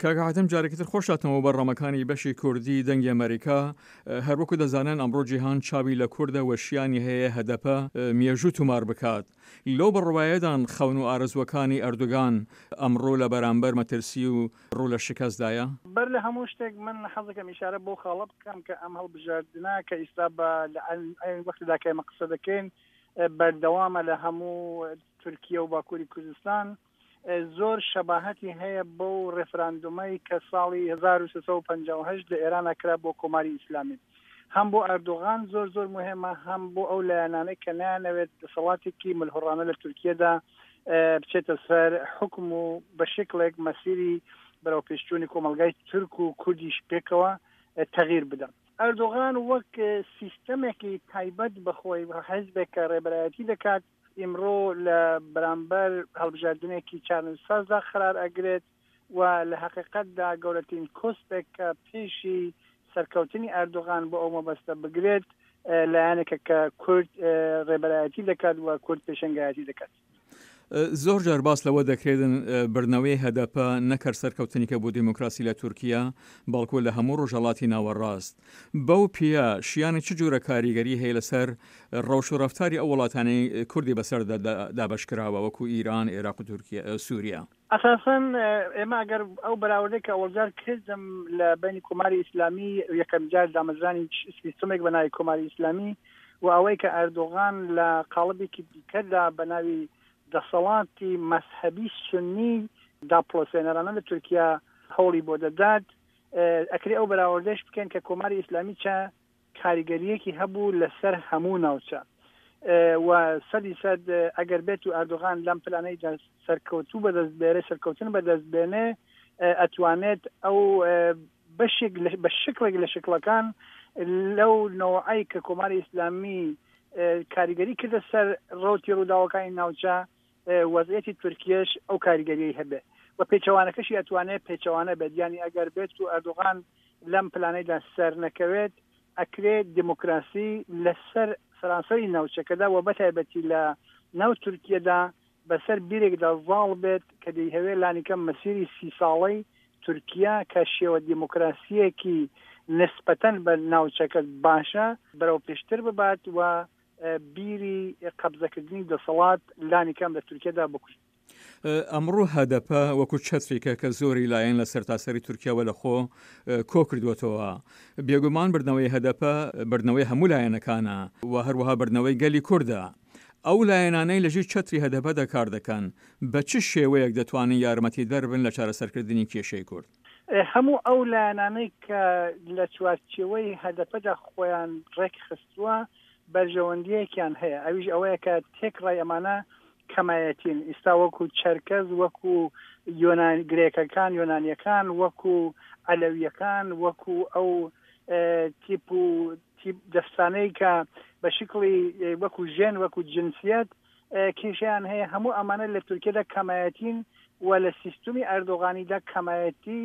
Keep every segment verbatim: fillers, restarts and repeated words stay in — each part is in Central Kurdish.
کاک حاتم جارێکی تر خۆش هاتنەوە بەرنامەکانی بەشی کوردی دەنگی ئەمەریکا. هەروەکو دەزانن ئەمڕۆ جیهان چاوی لە کوردە و شیانی هەیە هەدەپە مێژوو تومار بکات. لەو بڕوایەدان خەون و ئارەزووەکانی ئەردوگان ئەمڕۆ لە بەرامبەر مەترسی و ڕوو لە شکستدایە؟ بەر لە هەموو شتێک من حەزەکەم ئیشارە بەو خاڵە بکەم کە ئەم هەڵبژاردنە کە ئیستا بە لە عەین وەختدا کە ئێمە قسە دەکەین بەردەوامە لە هەموو تورکیە و باکووری کوردستان زۆر شەباهەتی هەیە بەو ڕێفراندومەی کە ساڵی هەزار و سێ سەد و پەنجا و هەشت لە ئێرانە کرا بۆ کۆماری ئیسلامی. هەم بۆ ئەردۆغان زۆر زۆر مهمە، هەم بۆ ئەو لایەنانەی کە نایانەوێت دەسەڵاتێکی ملهوڕانە لە تورکیەدا بچێتە سەر حوکم و بە شکڵێک مەسیری بەرەوپێشچوونی کۆمەڵگای تورک و کوردیش پێکەوە تەغییر بدەن. ئەردۆغان وەک سیستەمێکی تایبەت بە خۆی، حیزبێک کە ڕێبەرایەتی دەکات، ئیمڕۆ لە بەرامبەر هەڵبژاردنێکی چارەنووسسازدا قەرار ئەگرێت و لە هەقیقەتدا گەورەترین کۆسپێک کە پێشی سەرکەوتنی ئەردۆغان بۆ ئەو مەبەستە بگرێت لایەنێکە کە کورد ڕێبەرایەتی دەکات و کورد پێشەنگایەتی دەکات. زۆر جار باس لەوە دەکرێتن بردنەوەی هەدەپە نەکەر سەرکەوتنیکە بۆ دیموکراسی لە تورکیا، بەڵکو لە هەموو ڕۆژهەڵاتی ناوەڕاست. بەو پێیە شیانی چ جۆرە کاریگەری هەیە لەسەر ڕەوش و ڕەفتاری ئەو وڵاتانەی کوردی بەسەردا دابەشکراوە وەکو ئیران، عێراق و تورکیا، سوریا؟ ئەساسەن ئێمە ئەگەر ئەو بەراوردەی کە ئەوەڵجار کردم لە بەینی کۆماری ئیسلامی یەکەم جار دامەزرانی سیستمێک بە ناوی کۆماری ئیسلامی و ئەوەی کە ئەردۆغان لە قاڵبێکی دیکەدا بە ناوی دەسەڵاتی مەزهەبی سوننی داپڵۆسێنەرانە لە تورکیا هەوڵی بۆ دەدات، ئەکرێ ئەو بەراوردەش بکەین کە کۆماری ئیسلامی چە کاریگەرییەکی هەبوو لەسەر هەموو ناوچە و سەدی سەد ئەگەر بێت و ئەردۆغان لەم پلانەیدا سەرکەوتوو بەدەست بێرێ، سەرکەوتن بەدەست بێنێ، ئەتوانێت ئەو بەشێک بە شکڵێک لە شکڵەکان لەو نەوعەی کە کۆماری ئیسلامی کاریگەری کردە سەر ڕەوتی ڕووداوەکانی ناوچە، وەزعیەتی تورکیەش ئەو کاریگەریەی هەبێ و پێچەوانەکەشی ئەتوانێت پێچەوانە بێت. یانی ئەگەر بێت و ئەردۆغان لەم پلانەیدا سەر نەکەوێت، ئەکرێ دێموکراسی لەسەر سەرانسەری ناوچەکەدا و بەتایبەتی لە ناو تورکیەدا بەسەر بیرێکدا زاڵ بێت کە دەیهەوێ لانیکەم مەسیری سی ساڵەی تورکیا کە شێوە دێموکراسییەکی نسبەتەن بە ناوچەکە باشە بەرەو پێشتر ببات و بیری قەبزەکردنی دەسەڵات لانیکەم لە تورکیەدا بکوژێت. ئەمڕۆ هەدەپە وەکو چەترێکە کە زۆری لایەن لە سەرتاسەری تورکیاوە لە خۆ کۆ کردووەتەوە. بێگومان بردنەوەی هەدەپە بردنەوەی هەموو لایەنەکانە و هەروەها بردنەوەی گەلی کوردە. ئەو لایەنانەی لەژیر چەتری هەدەپەدا کار دەکەن بە چ شێوەیەک دەتوانن یارمەتیدەر بن لە چارەسەرکردنی کێشەی کورد؟ هەموو ئەو لایەنانەی کە لە چوارچێوەی هەدەپەدا خۆیان ڕێکخستووە بەرژەوەندییەکیان هەیە، ئەویش ئەوەیە کە تێکڕای ئەمانە کەمایەتین. ئیستا وەکو چەرکەز، وەکو یۆنان گرێکەکان، یۆنانیەکان، وەکو عەلەویەکان، وەکو ئەو تیپ و تیپ دەستانەی کە بە شکڵی وەکو ژێن، وەکو جنسیەت کێشەیان هەیە، هەموو ئەمانە لە تورکیەدا کەمایەتین و لە سیستمی ئەردۆغانیدا کەمایەتی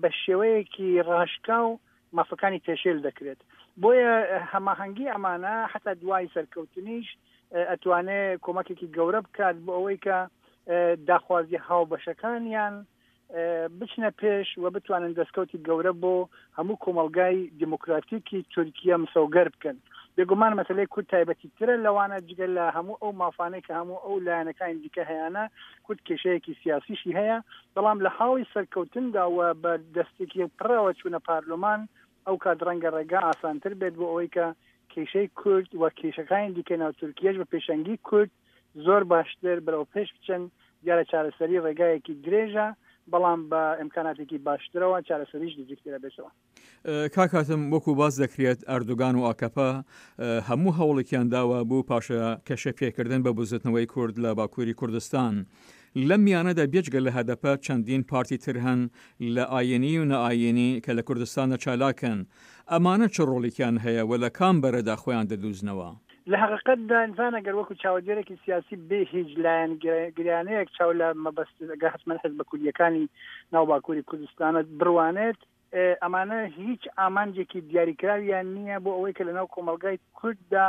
بە شێوەیەکی ڕاشکاو مافەکانی پێشێل دەکرێت. بۆیە هەماهەنگی ئەمانە حتا دوای سەرکەوتنیش ئەتوانێ کۆمەکێکی گەورە بکات بۆ ئەوەی کە داخوازی هاوبەشەکانیان بچنە پێش و بتوانن دەستکەوتی گەورە بۆ هەموو کۆمەڵگای دیموکراتیکی تورکیا مسۆگەر بکەن. بێگومان مەسەلەی کورد تایبەتی ترە لەوانە، جگە لە هەموو ئەو مافانەی کە هەموو ئەو لایەنەکانی دیکە هەیانە، کورد کێشەیەکی سیاسیشی هەیە، بەڵام لە حاڵی سەرکەوتندا و بە دەستێکی پڕەوە چوونە پارلمان، ئەو کات ڕەنگە ڕێگا ئاسانتر بێت بۆ ئەوەی کە کێشەی کورد و کێشەکانی دیکەی ناو تورکیەش بە پێشەنگی کورد زۆر باشتر بەرەو پێش بچن. دیارە چارەسەری ڕێگایەکی درێژە، بەڵام بە ئیمکاناتێکی باشترەوە چارەسەریش نزیکترە بێتەوە. کاک حاتم، وەکو باس دەکرێت ئەردۆگان و ئاکەپە هەموو هەوڵێکیان داوە بۆ پاشەکەشە پێکردن بە بزوتنەوەی کورد لە باکووری کوردستان. لەم میانەدا بێجگە لە هەدەپە چەندین پارتی تر هەن لە ئایینی و نائایینی کە لە کوردستاندا چالاکن. ئەمانە چ ڕۆڵێکیان هەیە و لە کام بەرەدا خۆیان دەدوزنەوە؟ لە هەقیقەتدا ئینسان ئەگەر وەکو چاودێرێکی سیاسی بێ هیچ لایەنگریانەیەک چاو لە مەبەست ئەگەر حەتمەن حزبە کوردییەکانی ناو باکووری کوردستانە بڕوانێت، ئەمانە هیچ ئامانجێکی دیاریکراویان نییە بۆ ئەوەی کە لەناو کۆمەڵگای کورددا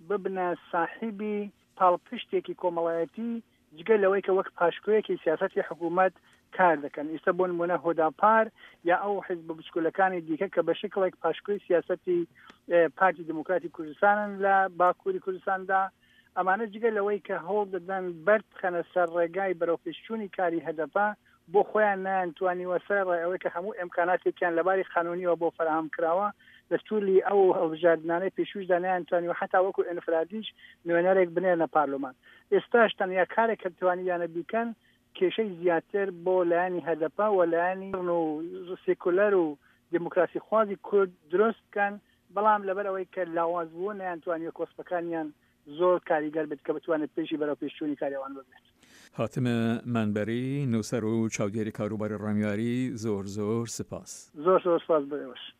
ببنە ساحیبی پاڵپشتێکی کۆمەڵایەتی، جگە لەوەی کە وەک پاشکۆیەکی سیاسەتی حکوومەت کار دەکەن. ئیستا بۆ نموونە هۆداپار یا ئەو حیزبە بچکۆلەکانی دیکە کە بە شکڵێک پاشکۆی سیاسەتی پارتی دیموکراتی کوردستانن لە باکووری کوردستاندا، ئەمانە جگە لەوەی کە هەوڵ دەدەن بەرد بخەنە سەر ڕێگای بەرەوپێشچوونی کاری هەدەپە، بۆ خۆیان نەیانتوانیوە سەرەڕای ئەوەی کە هەموو ئیمکاناتێکیان لەباری قانوونیەوە بۆ فەراهەم کراوە، لە توولی ئەو هەڵبژاردنانەی پێشووشدا نەیانتوانیوە حەتا وەکوو ئینفرادیش نوێنەرێک بنێرنە پارلمان. ئێستاش تەنیا کارێک کە توانیویانە بیکەن کێشەی زیاتر بۆ لایەنی هەدەپە و لایەنی و سێکولەر و دێموکراسیخوازی کورد دروست بکەن، بەڵام لەبەر ئەوەی کە لاواز بوون نەیانتوانیوە کۆسپەکانیان زۆر کاریگەر بێت کە بتوانێت پێشی بەرەوپێشچوونی کاری ئەوان بگرێت. هاتم مەنبەری، نووسەر و چاودێری کاروباری ڕامیاری، زۆر زۆر سپاس. زۆر زۆر سپاس بۆ ئێوەش.